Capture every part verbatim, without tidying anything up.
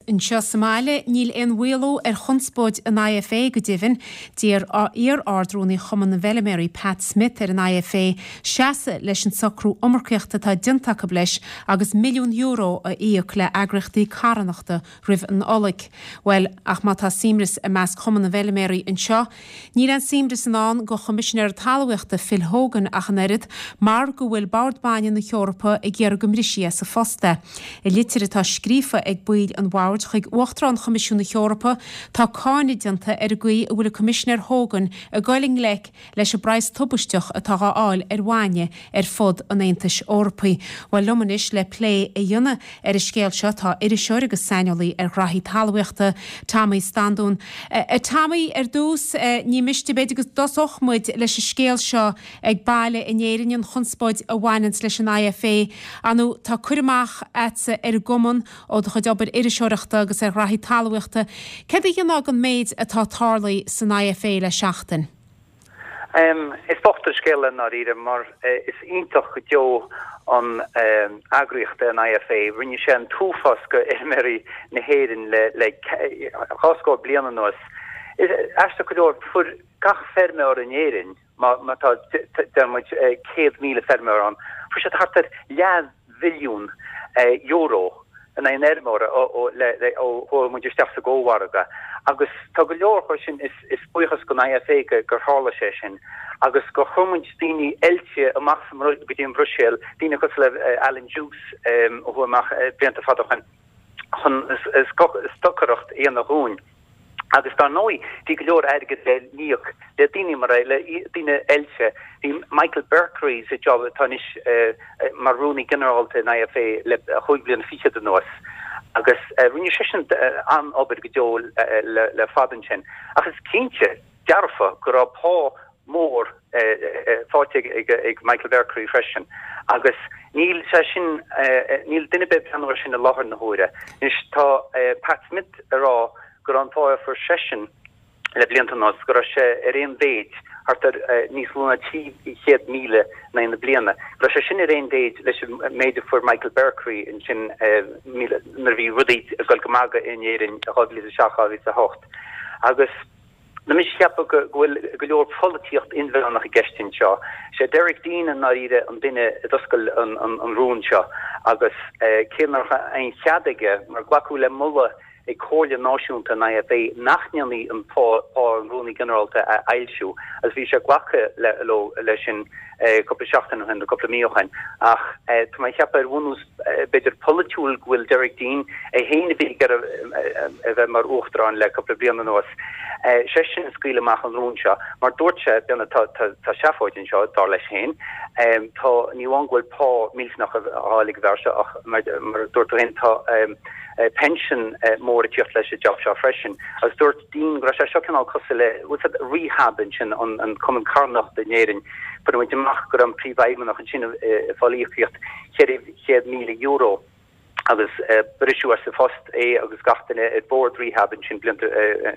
Anseo sa mbaile níl aon mhaolú ar chonspóid an I F A go deimhin. D'iarr iar-Ard-Rúnaí Chumann na bhFeilméaraí, Pat Smith, ar an I F A seasamh leis an socrú iomarcaíochta atá déanta acu leis agus milliún euro a íoc le heagraíochtaí carthanachta roimh an Nollaig. Well, ach má tá suaimhneas i measc Chumann na bhFeilméaraí anseo, níl an suaimhneas i ndán do Choimisinéir Talmhaíochta Phil Hogan ach an oiread, mar go bhfuil Bord Bainne na hEorpa ag iarraidh go mbrisfí as a phost é. I litir atá scríofa ag baill an bhoird chuig Uachtarán Choimisiún na hEorpa, tá cáineadh déanta ar an gcaoi a bhfuil an Coimisinéir Hogan ag dul i ngleic leis an bpraghas tubaisteach atá á fháil ar bhainne ar fud an Aontais Eorpaigh. Well, liom anois le plé a dhéanamh ar an scéal seo tá iriseoir agus saineolaí ar ghraithí talmhaíochta, Tommy Standún. Uh, Tommy, ar dtús, uh, ní miste b'fhéidir go dtosódh muid leis an scéal seo ag baile in Éirinn, an chonspóid a bhaineann leis an I F A. Anu tá cur amach agatsa ar an gcumann ó do chuid obair iriseoireachta agus ar ghraithí talmhaíochta. Céard a dhéanfá den méid atá tarlaithe san I F A le seachtain? Um, is bocht an scéal i ndáiríre, mar uh, is iontach go deo an um, eagraíocht an I F A. Rinne sé an t-uafás do fheilméaraí na hÉireann le le dhá scór bliain anuas. Aisteach go leor, fuair gach feirmeoir in Éirinn, má má tá muid céad míle feirmeoir ann, fuair siad thart ar leathmhilliún euro in aon fheirmeoir ó chuaigh muid isteach sa gcómhargadh. Agus tá go leor chu sin is is buíochas don I F A gur tharla sé sin. Agus go chuir daoine oilte amach go dtí an Bhruiséil, daoine cosúil le Alan Dukes ó chuaigh amach blianta fada chun chun stocaireacht a dhéanamh dúinn. Agus dar ndóigh bhí go leor airgead le n-íoc le daoine mar le daoine oilte. Bhí Michael Berkery sa job atá anois uh, mar rúnaí ginearálta in I F A le chúig bliana fichead anuas. Agus uh, rinne sé sin uh, an-obair go deo uh, le, le fada sin. Ach is cinnte dearfa go raibh pá mór faighte ag, ag Michael Berkery freisin. Agus níl sé sin, níl duine ag breathnú sin i láthair na huaire. Anois tá Pat Smith ag rá gur an pá a fuair seisean le blianta anuas go raibh sé ar aon mhéid, thart ar níos lú ná trí chéad míle na na bliana. Go raibh sé sin ar aon mhéid leis méid a fuair Michael Berkery ansin nuair a bhí rudaí ag dul go maith in Éirinn dhá mhíle a seacht, dhá mhíle a hocht. Agus Na mis cheapa go bhfuil go leor polaitíocht inmheánach i gceist anseo. Sé Derek Deane an náíre an duine a d'oscail an, an, an rún seo, agus eh, cé nach aon chead aige, mar glacadh le moladh ag Comhairle Náisiúnta an I F A nach ndéanfaí an pá an rúnaí ginearálta a fhoilsiú, agus bhí sé glactha le le sin eh, cúpla seachtain ó shin, cúpla mí ó shin, ach eh, tá mé ag ceapadh ar bhunús eh, b'fhéidir polaitiúil go bhfuil Derek Deane é féin a bhí a bheith mar uachtarán le cúpla bliain anuas. Sé sin a scaoil amach an rún seo, mar dúirt sé tá tá seafóid anseo, dar leis féin. Tá ní amháin go bhfuil pá millteanach á fháil ag an bhfear seo, ach mar dúirt féin, tá pension mór ag teacht leis an job seo freisin. Agus dúirt Deane go raibh sé seo cineál cosúil le rehab ansin, an an Cumann Carthanachta in Éirinn. Fuair muid amach gur an príomhfheidhmeannach ansin ag fáil íocaíocht ceithre chéad míle euro, agus briseadh as a phost é agus gach duine ar bord rehab ansin blianta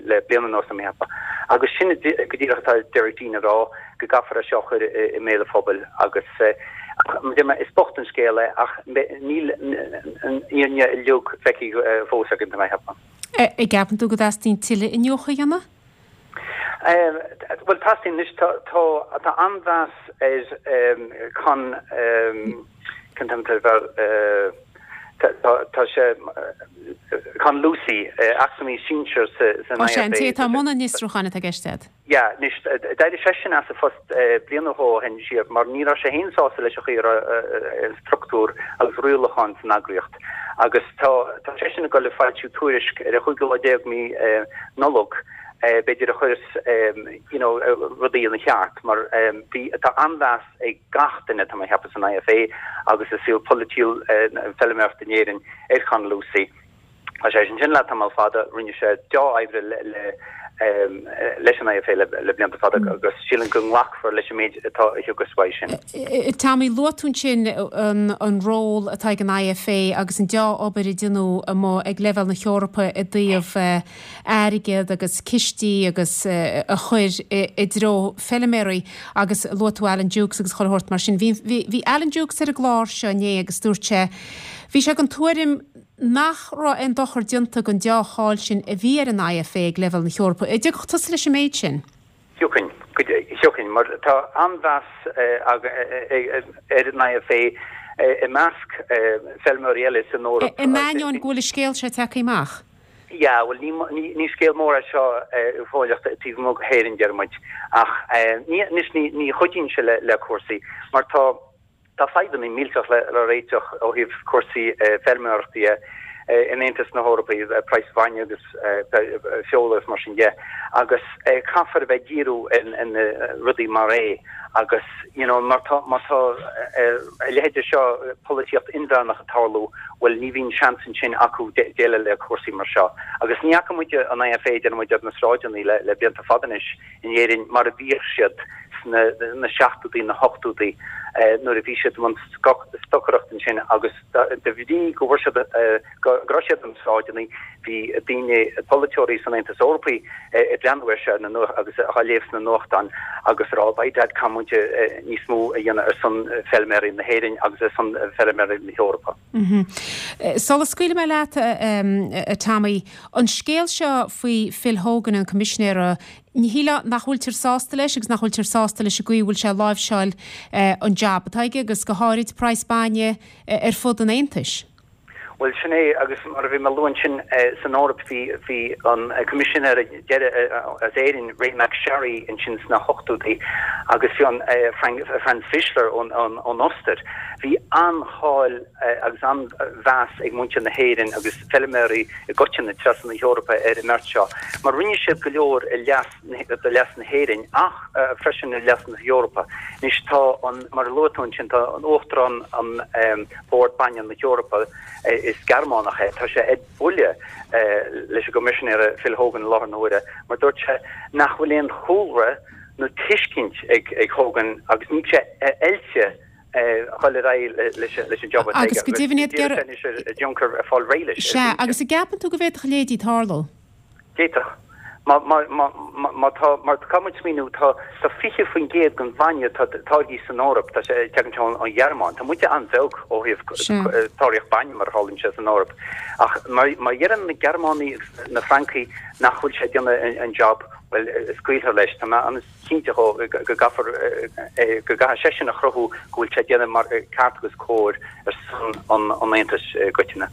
le bliana anuas a mheapa. Agus sin go díreach atá Derek Deane ag rá, go gcaithfear é seo a chur i mbéal an phobail. Agus is bocht an scéal é, ach níl an fhírinne uilig feicthe fós againn, tá mé ag ceapadh. An gceapann tú go dteastaíonn tuilleadh iniúchadh a dhéanamh? Well, teastaíonn. Tá tá an-mheas ar Con tá sé Con Lucey, eacnamaí sinsir san Sé an té atá i mbun an fhiosrúcháin atá i gceist agat. Ja, anois d'éirigh seisean as a phost bliain ó shin siar, mar ní raibh sé féin sásta leis an chaoi struchtúr agus rialacháin san eagraíocht. Agus tá tá seisean ag dul le foilsiú tuairisc ar a chúigiú lá déag mí Nollag, b'fhéidir a chuirfeas you know, rudaí ina cheart, mar bhí tá an-mheas ag gach duine, tá mé ag ceapadh, san I F A agus i saol polaitiúil feilméarachta in Éirinn ar Con Lucey. Tá sé sin sin le tamall fada, rinne sé dea-obair le, le um, leis an I F A le, le blianta fada, agus sílim go nglacfar leis an méid atá a thiocfas uaidh sin. Tommy, luaigh tú ansin an, an ról atá ag an I F A agus an dea-obair a déanadh amuigh ag leibhéal na hEorpa i dtaobh airgead agus cistí agus a chur i dtreo feilméaraí, agus luaigh tú Alan Dukes agus chuile shórt mar sin. Bhí, bhí, bhí Alan Dukes ar an gclár seo inné agus dúirt sé bhí sé den tuairim nach raibh aon dochar déanta don dea-cháil sin a bhí ar an IFA ag leibhéal na hEorpa. An dtiocfadh tusa leis an méid sin? Thiocfainn, thiocfainn, mar tá an-mheas ar an IFA i measc feilméaraí eile san Eoraip. In ainneoin go bhfuil an scéal seo tagtha amach? Yeah, bhuel ní ní scéal mór é seo go fóilleach taobh amuigh go hÉirinn, deir muid, ach ní anois ní ní chuidíonn sé le le cúrsaí mar tá Tá fadhbanna millteach le réiteach ó thaobh cúrsaí feilméarachta dhe in Aontas na hEorpa, praghas bainne agus feola agus mar sin de, agus caithfear a bheith ag díriú ar na rudaí mar é agus you know mar tá má tá a leithéid de seo polaitíocht inmheánach ag tarlú, bhuel ní bhíonn seans ansin acu déileáil le cúrsaí mar seo. Agus ní fhaca muid an IFA déarfaidh muid ar na sráideanna le le blianta fada anois in Éirinn mar a bhíodh siad sna na seachtóidí, na hochtóidí nuair a bhí siad i mbun stocaireacht ansin agus de bhrí go bhfuair siad go raibh siad ar na sráideanna bhí daoine, polaiteoirí san Aontas Eorpaí ag breathnú air seo agus á léamh sna nuachtáin agus ag rá by dad caithfidh muid níos mó a dhéanamh ar son feilméaraí na hÉireann agus ar son feilméaraí na hEorpa. Sula scaoilfidh mé leat a Tommy, an scéal seo faoi Phil Hogan an Coimisinéara, Ní shílfeá nach bhfuiltear sásta leis agus nach bhfuiltear sásta leis an gcaoi a bhfuil sé ag láimhseáil an jab atá aige agus go háirid praghas bainne ar fud an Aontais. Bhuel, sin é, agus mar a bhí mé ag lua ansin, san Eoraip bhí bhí an Coimisinéir deiridh as Éirinn, Ray MacSharry, ansin sna hochtóidí agus bhí an Franz Fischler ón ón Ostair. Bhí an-cháil agus an-mheas ag muintir na hÉireann agus feilméaraí i gcoitinne trasna na hEorpa ar an mbeirt seo, mar rinne siad go leor i leas do leas na hÉireann ach freisin i leas na hEorpa. Anois tá an, mar a luaigh tú ansin, tá an Uachtarán an Bord Bainne na hEorpa, is Gearmánach é, tá sé ag buille leis an gCoimisinéir Phil Hogan i láthair na huaire mar dúirt sé nach bhfuil aon chúlra nó tuiscint ag Hogan agus níl sé oilte dhul ar aghaidh leis an job atá aige. Agus go deimhin iad ag iarraidh Juncker ag fáil réidh leis. Sea, agus an gceapann tú go bhféadfadh a leithéidí tarlú? D'fhéadfadh. Má tá, mar caithfidh muid smaoineamh, tá fiche faoin gcéad den bhainne atá táirgthe san Eoraip, tá sé, tagann sé ón Ghearmáin. Tá muide an-bheag ó thaobh táirgeadh bainne mar a tharlaíonn sé san Eoraip. Ach má dheireann na Gearmánaigh agus na Francaigh nach bhfuil sé ag déanamh an job, bhuel, scaoilfear leis. Tá mé an. cinnte go gcaithfear, go gcaithfidh seisean a chruthú go bhfuil sé ag déanamh mar ceart agus cóir ar son an Aontais i gcoitinne.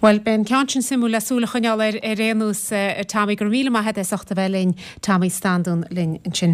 Bhuel, beidh an ceann sin suimiúil le súil a choinneáil air ar aon nós, a Tommy. Go raibh míle maith agat as ucht a bheith linn, Tommy Standún linn ansin.